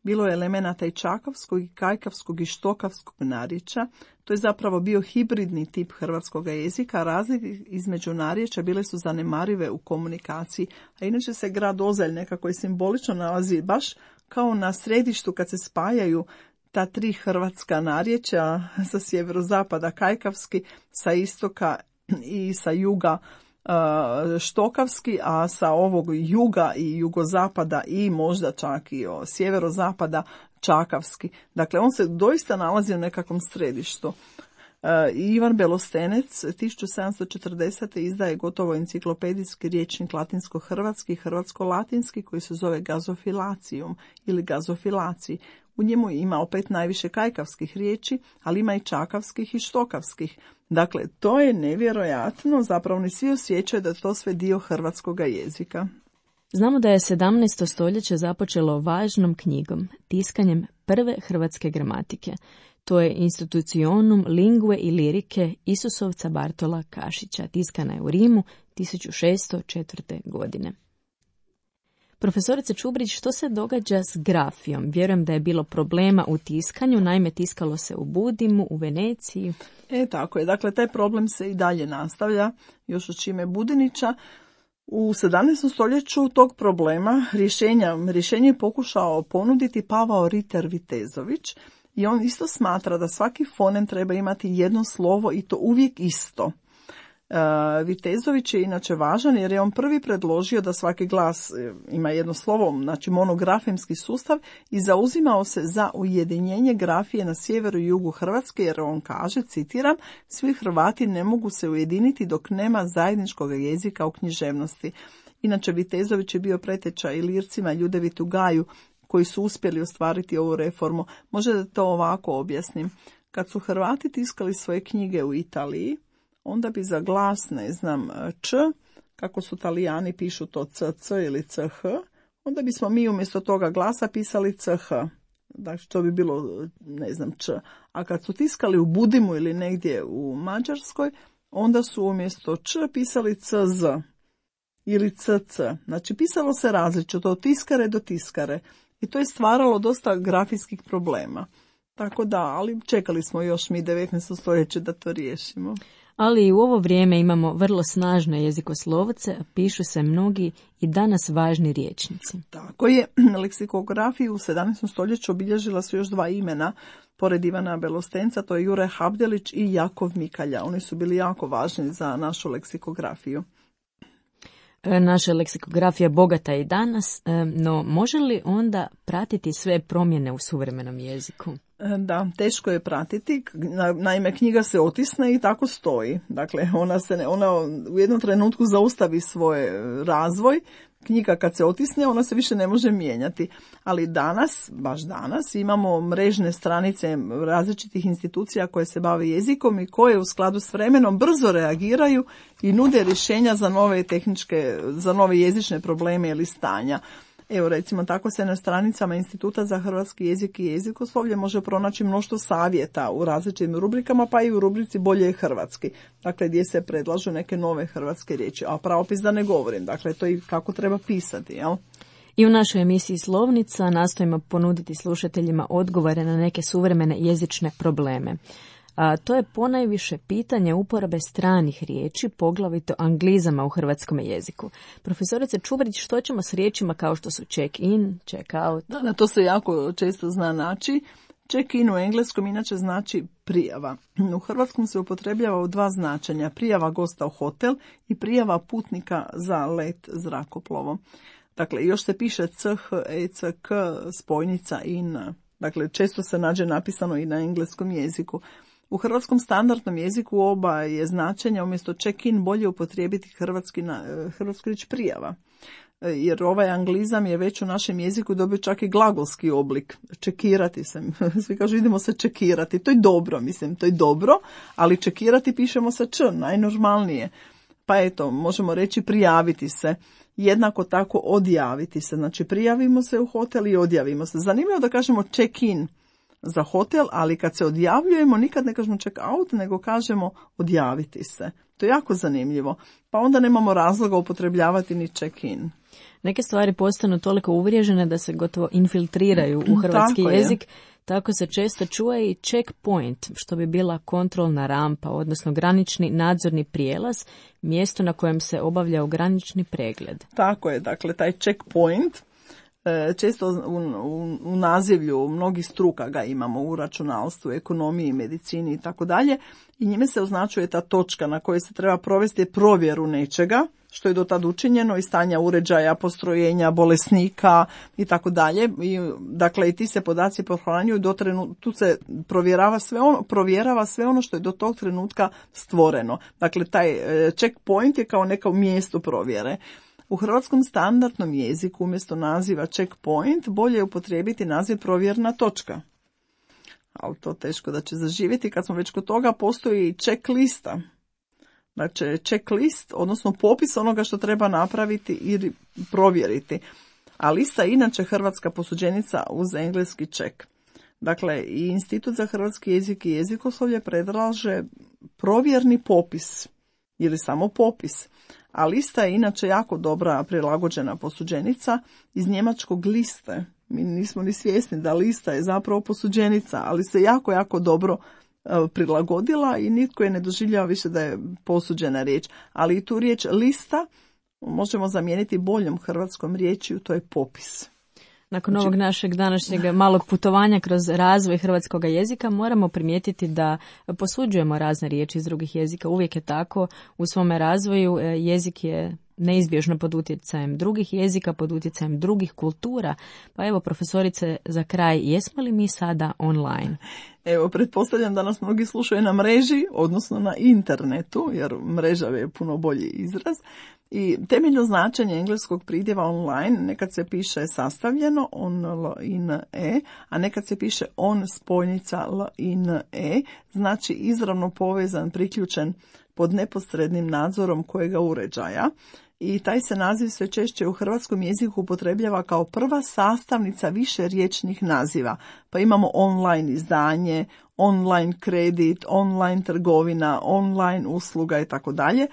bilo je elemenata i čakavskog, i kajkavskog, i štokavskog narječja. To je zapravo bio hibridni tip hrvatskog jezika, razlike između narječja bile su zanemarive u komunikaciji, a inače se grad Ozelj nekako i simbolično nalazi baš kao na središtu kad se spajaju ta tri hrvatska narječja sa sjeverozapada kajkavski, sa istoka i sa juga štokavski, a sa ovog juga i jugozapada i možda čak i o sjeverozapada čakavski. Dakle, on se doista nalazi u nekakvom središtu. Ivan Belostenec tisuću sedamsto četrdesete izdaje gotovo enciklopedijski rječnik latinsko-hrvatski i hrvatsko-latinski koji se zove Gazofilacijum ili Gazofilaciji. U njemu ima opet najviše kajkavskih riječi, ali ima i čakavskih i štokavskih. Dakle, to je nevjerojatno, zapravo ni svi osjećaju da je to sve dio hrvatskoga jezika. Znamo da je sedamnaesto stoljeće započelo važnom knjigom, tiskanjem prve hrvatske gramatike. To je Institutionum lingue i lirike Isusovca Bartola Kašića, tiskana je u Rimu tisuću šessto četvrte. godine. Profesorice Čubrić, što se događa s grafijom? Vjerujem da je bilo problema u tiskanju, naime tiskalo se u Budimu, u Veneciji. E, tako je. Dakle, taj problem se i dalje nastavlja, još od Šime Budinića. U sedamnaestom stoljeću tog problema rješenja, rješenje je pokušao ponuditi Pavao Riter Vitezović i on isto smatra da svaki fonem treba imati jedno slovo i to uvijek isto. Vitezović je inače važan jer je on prvi predložio da svaki glas ima jedno slovo, znači monografemski sustav, i zauzimao se za ujedinjenje grafije na sjeveru i jugu Hrvatske jer on kaže, citiram, svi Hrvati ne mogu se ujediniti dok nema zajedničkog jezika u književnosti. Inače Vitezović je bio preteča Ilircima, Ljudevitu Gaju koji su uspjeli ostvariti ovu reformu. Možda da to ovako objasnim. Kad su Hrvati tiskali svoje knjige u Italiji, onda bi za glas, ne znam, č, kako su Talijani pišu to cc ili ch, onda bismo mi umjesto toga glasa pisali ch. Dakle, to bi bilo, ne znam, č. A kad su tiskali u Budimu ili negdje u Mađarskoj, onda su umjesto č pisali cz ili cc. Znači, pisalo se različito od tiskare do tiskare. I to je stvaralo dosta grafijskih problema. Tako da, ali čekali smo još mi devetnaesto stoljeće da to riješimo. Ali i u ovo vrijeme imamo vrlo snažne jezikoslovce, a pišu se mnogi i danas važni rječnici. Tako je, leksikografiju u sedamnaestom stoljeću obilježila su još dva imena, pored Ivana Belostenca, to je Jure Habdelić i Jakov Mikalja. Oni su bili jako važni za našu leksikografiju. Naša leksikografija bogata i danas, no može li onda pratiti sve promjene u suvremenom jeziku? Da, teško je pratiti. Naime, knjiga se otisne i tako stoji. Dakle, ona se ne, ona u jednom trenutku zaustavi svoj razvoj. Knjiga kad se otisne, ona se više ne može mijenjati. Ali danas, baš danas, imamo mrežne stranice različitih institucija koje se bave jezikom i koje u skladu s vremenom brzo reagiraju i nude rješenja za nove tehničke, za nove jezične probleme ili stanja. Evo, recimo, tako se na stranicama Instituta za hrvatski jezik i jezikoslovlje može pronaći mnoštvo savjeta u različitim rubrikama, pa i u rubrici Bolje je hrvatski, dakle gdje se predlažu neke nove hrvatske riječi, a pravopis da ne govorim, dakle to i kako treba pisati, jel? I u našoj emisiji Slovnica nastojimo ponuditi slušateljima odgovore na neke suvremene jezične probleme. A to je ponajviše pitanje uporabe stranih riječi, poglavito anglizama u hrvatskom jeziku. Profesorice Čubrić, što ćemo s riječima kao što su check-in, check-out? Da, da, to se jako često zna naći. Check-in u engleskom inače znači prijava. U hrvatskom se upotrebljava u dva značenja, prijava gosta u hotel i prijava putnika za let zrakoplovom. Dakle, još se piše ch, ec, k, spojnica in. Dakle, često se nađe napisano i na engleskom jeziku. U hrvatskom standardnom jeziku oba je značenja umjesto check-in bolje upotrijebiti hrvatski, hrvatski riječ prijava. Jer ovaj anglizam je već u našem jeziku dobio čak i glagolski oblik. Čekirati se. Svi kažu idemo se čekirati. To je dobro, mislim, to je dobro, ali čekirati pišemo sa č, najnormalnije. Pa eto, možemo reći prijaviti se. Jednako tako odjaviti se. Znači prijavimo se u hotel i odjavimo se. Zanimljivo da kažemo check-in za hotel, ali kad se odjavljujemo nikad ne kažemo check out, nego kažemo odjaviti se. To je jako zanimljivo. Pa onda nemamo razloga upotrebljavati ni check in. Neke stvari postanu toliko uvriježene da se gotovo infiltriraju u hrvatski Tako jezik. Je. Tako se često čuje i checkpoint, što bi bila kontrolna rampa, odnosno granični nadzorni prijelaz, mjesto na kojem se obavlja granični pregled. Tako je, dakle taj checkpoint Često u, u, u nazivlju mnogih struka ga imamo u računalstvu, ekonomiji, medicini i tako dalje i njime se označuje ta točka na kojoj se treba provesti provjeru nečega što je do tad učinjeno i stanja uređaja, postrojenja, bolesnika i tako dalje. I dakle i ti se podaci pohranjuju do trenutka, tu se provjerava sve ono, provjerava sve ono što je do tog trenutka stvoreno. Dakle taj checkpoint je kao neko mjesto provjere. U hrvatskom standardnom jeziku umjesto naziva checkpoint bolje je upotrijebiti naziv provjerna točka. Ali to teško da će zaživjeti. Kad smo već kod toga, postoji i checklista. Znači checklist, odnosno popis onoga što treba napraviti i provjeriti. A lista je inače hrvatska posuđenica uz engleski check. Dakle, i Institut za hrvatski jezik i jezikoslovlje predlaže provjerni popis ili samo popis. A lista je inače jako dobra prilagođena posuđenica iz njemačkog liste. Mi nismo ni svjesni da lista je zapravo posuđenica, ali se jako, jako dobro prilagodila i nitko je ne doživljava više da je posuđena riječ. Ali i tu riječ lista možemo zamijeniti boljom hrvatskom riječju, to je popis. Nakon ovog našeg današnjeg malog putovanja kroz razvoj hrvatskog jezika moramo primijetiti da posuđujemo razne riječi iz drugih jezika. Uvijek je tako. U svome razvoju jezik je neizbježno pod utjecajem drugih jezika, pod utjecajem drugih kultura. Pa evo, profesorice, za kraj, jesmo li mi sada online? Evo, pretpostavljam da nas mnogi slušaju na mreži, odnosno na internetu, jer mreža je puno bolji izraz. I temeljno značenje engleskog pridjeva online nekad se piše sastavljeno, on, l, in, e, a nekad se piše on, spojnica, l, in, e, znači izravno povezan, priključen pod neposrednim nadzorom kojega uređaja. I taj se naziv sve češće u hrvatskom jeziku upotrebljava kao prva sastavnica više riječnih naziva. Pa imamo online izdanje, online kredit, online trgovina, online usluga i tako dalje.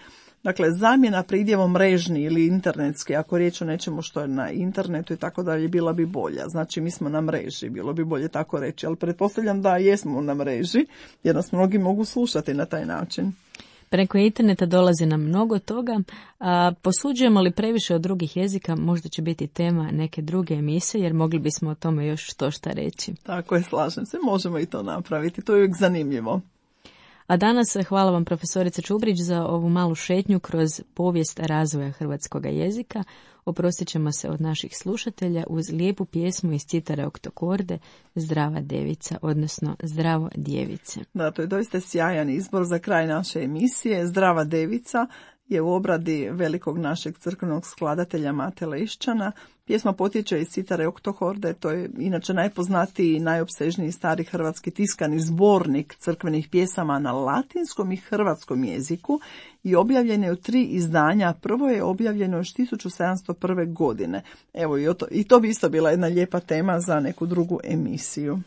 Dakle, zamjena pridjevom mrežni ili internetski, ako riječ o nečemu što je na internetu i tako dalje, bila bi bolja. Znači, mi smo na mreži, bilo bi bolje tako reći, ali pretpostavljam da jesmo na mreži, jer nas mnogi mogu slušati na taj način. Preko interneta dolazi nam mnogo toga, a posuđujemo li previše od drugih jezika, možda će biti tema neke druge emisije, jer mogli bismo o tome još što šta reći. Tako je, slažem se, možemo i to napraviti, to je uvijek zanimljivo. A danas hvala vam profesorice Čubrić za ovu malu šetnju kroz povijest razvoja hrvatskog jezika. Oprostit ćemo se od naših slušatelja uz lijepu pjesmu iz citare Oktokorde Zdrava devica, odnosno Zdravo djevice. Da, to je doista sjajan izbor za kraj naše emisije. Zdrava devica je u obradi velikog našeg crkvenog skladatelja Mate Lešćana. Pjesma potječe iz citare Oktokorde, to je inače najpoznatiji i najopsežniji stari hrvatski tiskani zbornik crkvenih pjesama na latinskom i hrvatskom jeziku i objavljen je u tri izdanja. Prvo je objavljeno još tisuću sedamsto prve. godine. Evo, i to, i to bi isto bila jedna lijepa tema za neku drugu emisiju.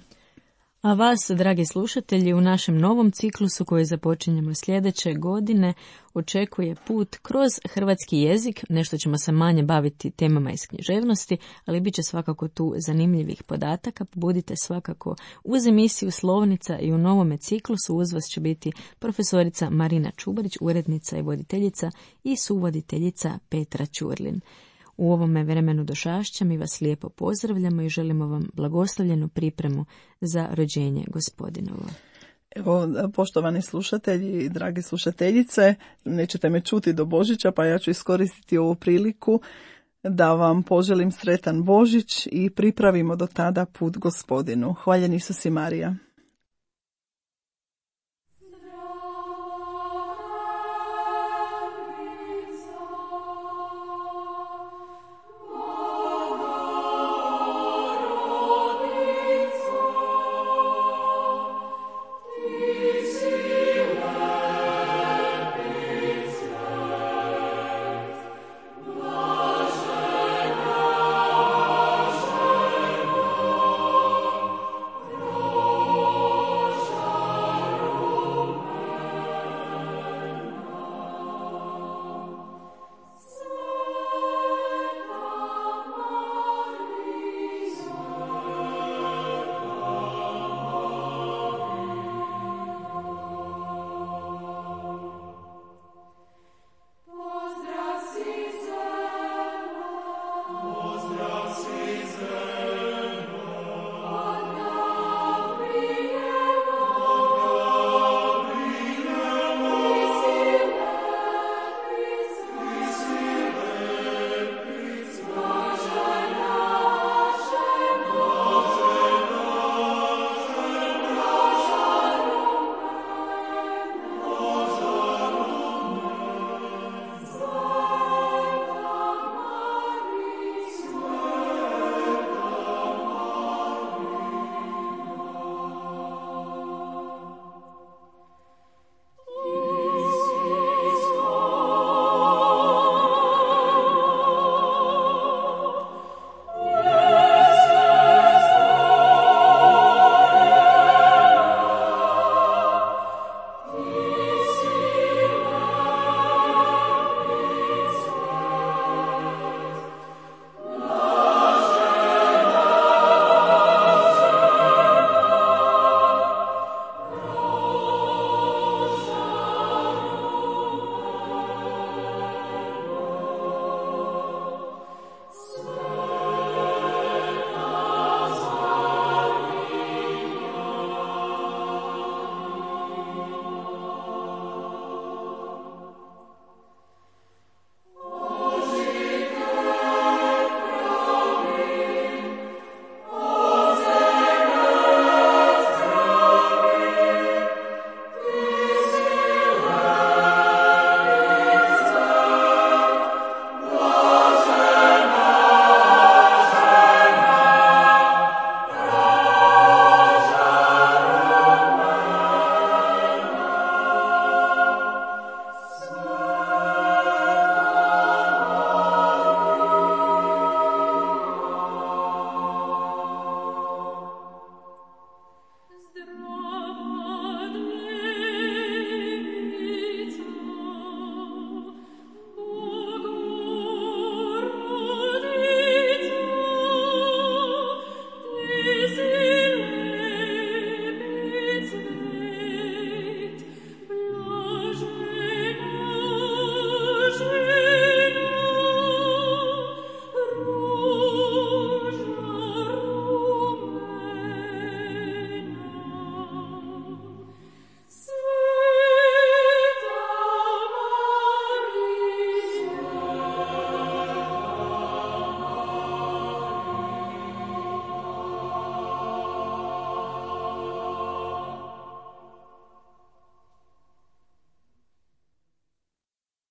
A vas, dragi slušatelji, u našem novom ciklusu koji započinjemo sljedeće godine očekuje put kroz hrvatski jezik. Nešto ćemo se manje baviti temama iz književnosti, ali bit će svakako tu zanimljivih podataka. Budite svakako uz emisiju Slovnica i u novome ciklusu uz vas će biti profesorica Marina Čubrić, urednica i voditeljica i suvoditeljica Petra Ćurlin. U ovome vremenu Došašća mi vas lijepo pozdravljamo i želimo vam blagoslovljenu pripremu za rođenje Gospodinovo. Evo, poštovani slušatelji i drage slušateljice, nećete me čuti do Božića, pa ja ću iskoristiti ovu priliku da vam poželim sretan Božić i pripravimo do tada put Gospodinu. Hvaljen Isus i Marija.